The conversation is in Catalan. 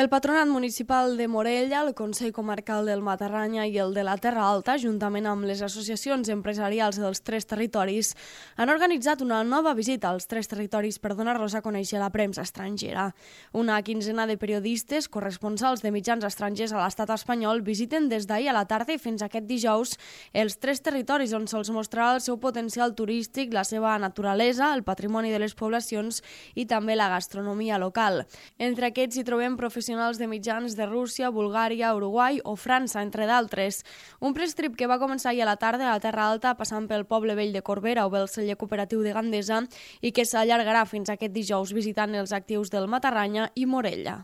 El Patronat Municipal de Morella, el Consell Comarcal del Matarranya i el de la Terra Alta, juntament amb les associacions empresarials dels tres territoris, han organitzat una nova visita als tres territoris per donar-los a conèixer a la premsa estrangera. Una quinzena de periodistes, corresponsals de mitjans estrangers a l'estat espanyol, visiten des d'ahir a la tarda i fins aquest dijous els tres territoris on se'ls mostrarà el seu potencial turístic, la seva naturalesa, el patrimoni de les poblacions i també la gastronomia local. Entre aquests hi trobem professionals de mitjans de Rússia, Bulgària, Uruguai o França, entre d'altres. Un press trip que va començar ahir a la tarda a la Terra Alta, passant pel Poble Vell de Corbera o pel celler cooperatiu de Gandesa i que s'allargarà fins aquest dijous visitant els actius del Matarranya i Morella.